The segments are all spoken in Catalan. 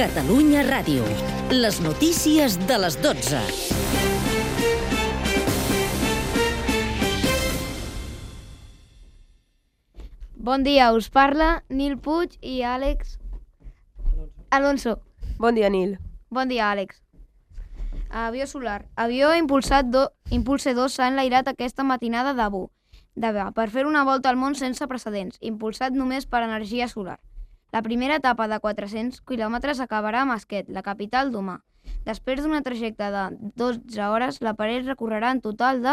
Catalunya Ràdio. Les notícies de les 12. Bon dia, us parla Nil Puig i Àlex Alonso. Bon dia, Nil. Bon dia, Àlex. Avió solar. Avió Impulse 2 s'ha enlairat aquesta matinada d'Abu Dhabi per fer una volta al món sense precedents, impulsat només per energia solar. La primera etapa de 400 quilòmetres acabarà a Masquet, la capital d'Oman. Després d'una trajecte de 12 hores, l'aparell recorrerà en total de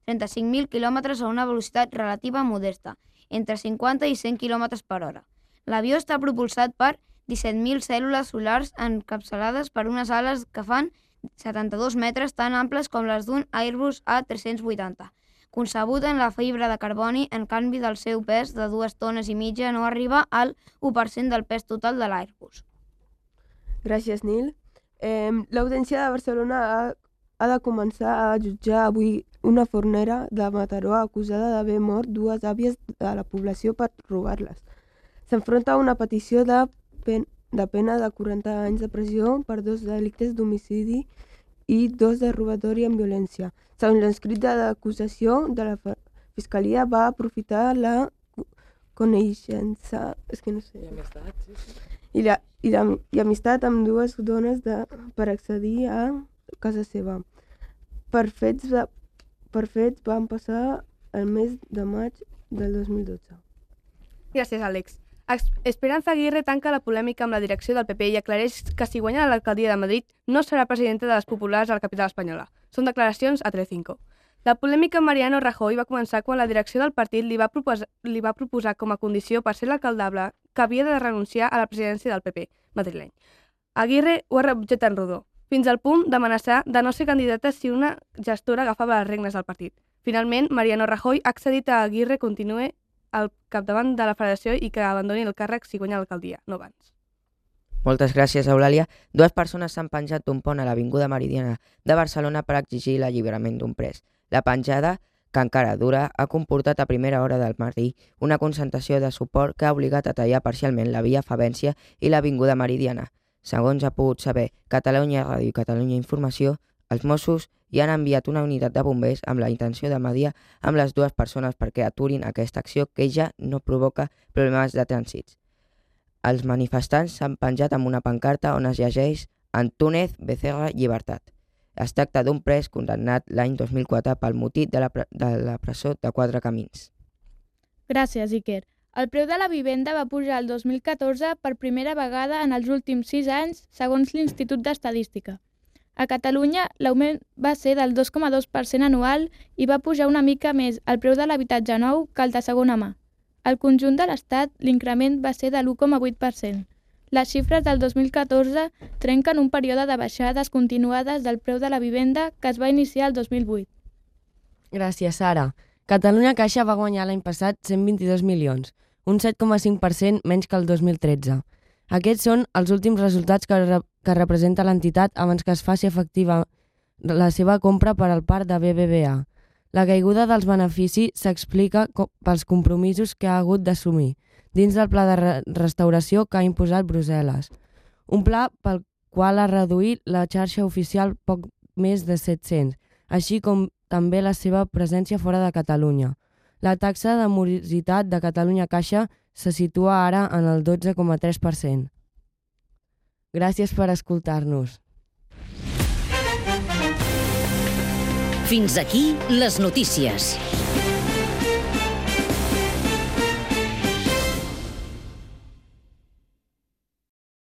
35.000 quilòmetres a una velocitat relativa modesta, entre 50 i 100 km per hora. L'avió està propulsat per 17.000 cèl·lules solars encapçalades per unes ales que fan 72 metres tan amples com les d'un Airbus A380. Concebut en la fibra de carboni, en canvi del seu pes de 2,5 tones no arriba al 1% del pes total de l'Airbus. Gràcies, Nil. L'Audiència de Barcelona ha de començar a jutjar avui una fornera de Mataró acusada d'haver mort dues àvies de la població per robar-les. S'enfronta a una petició de pena de 40 anys de presó per 2 delictes d'homicidi i 2 de robatori amb violència. Segons l'escrit de l'acusació de la Fiscalia, va aprofitar la coneixença i amistat amb dues dones per accedir a casa seva. Per fets van passar el mes de maig del 2012. Gràcies, Àlex. Esperanza Aguirre tanca la polèmica amb la direcció del PP i aclareix que si guanya l'alcaldia de Madrid no serà presidenta de les populars a la capital espanyola. Són declaracions a Telecinco. La polèmica amb Mariano Rajoy va començar quan la direcció del partit li va proposar com a condició per ser l'alcaldable que havia de renunciar a la presidència del PP madrileny. Aguirre ho ha rebutjat en rodó, fins al punt d'amenaçar de no ser candidata si una gestora agafava les regnes del partit. Finalment, Mariano Rajoy ha accedit a Aguirre continuï al capdavant de la federació i que abandoni el càrrec si guanya l'alcaldia, no abans. Moltes gràcies, Eulàlia. 2 persones s'han penjat d'un pont a l'Avinguda Meridiana de Barcelona per exigir l'alliberament d'un pres. La penjada, que encara dura, ha comportat a primera hora del matí una concentració de suport que ha obligat a tallar parcialment la via Favència i l'Avinguda Meridiana. Segons ha pogut saber Catalunya Ràdio i Catalunya Informació, els Mossos hi han enviat una unitat de bombers amb la intenció de mediar amb les 2 persones perquè aturin aquesta acció que ja no provoca problemes de trànsit. Els manifestants s'han penjat amb una pancarta on es llegeix Antúnez Becerra Llibertat. Es tracta d'un pres condemnat l'any 2004 pel motí de la presó de 4 Camins. Gràcies, Iker. El preu de la vivenda va pujar el 2014 per primera vegada en els últims 6 anys, segons l'Institut d'Estadística. A Catalunya, l'augment va ser del 2,2% anual i va pujar una mica més el preu de l'habitatge nou que el de segona mà. Al conjunt de l'Estat, l'increment va ser de l'1,8%. Les xifres del 2014 trenquen un període de baixades continuades del preu de la vivenda que es va iniciar el 2008. Gràcies, Sara. Catalunya Caixa va guanyar l'any passat 122 milions, un 7,5% menys que el 2013. Aquests són els últims resultats que representa l'entitat abans que es faci efectiva la seva compra per al parc de BBVA. La caiguda dels beneficis s'explica pels compromisos que ha hagut d'assumir dins del pla de restauració que ha imposat Brussel·les. Un pla pel qual ha reduït la xarxa oficial poc més de 700, així com també la seva presència fora de Catalunya. La taxa de morositat de Catalunya Caixa se situa ara en el 12,3%. Gràcies per escoltar-nos. Fins aquí les notícies.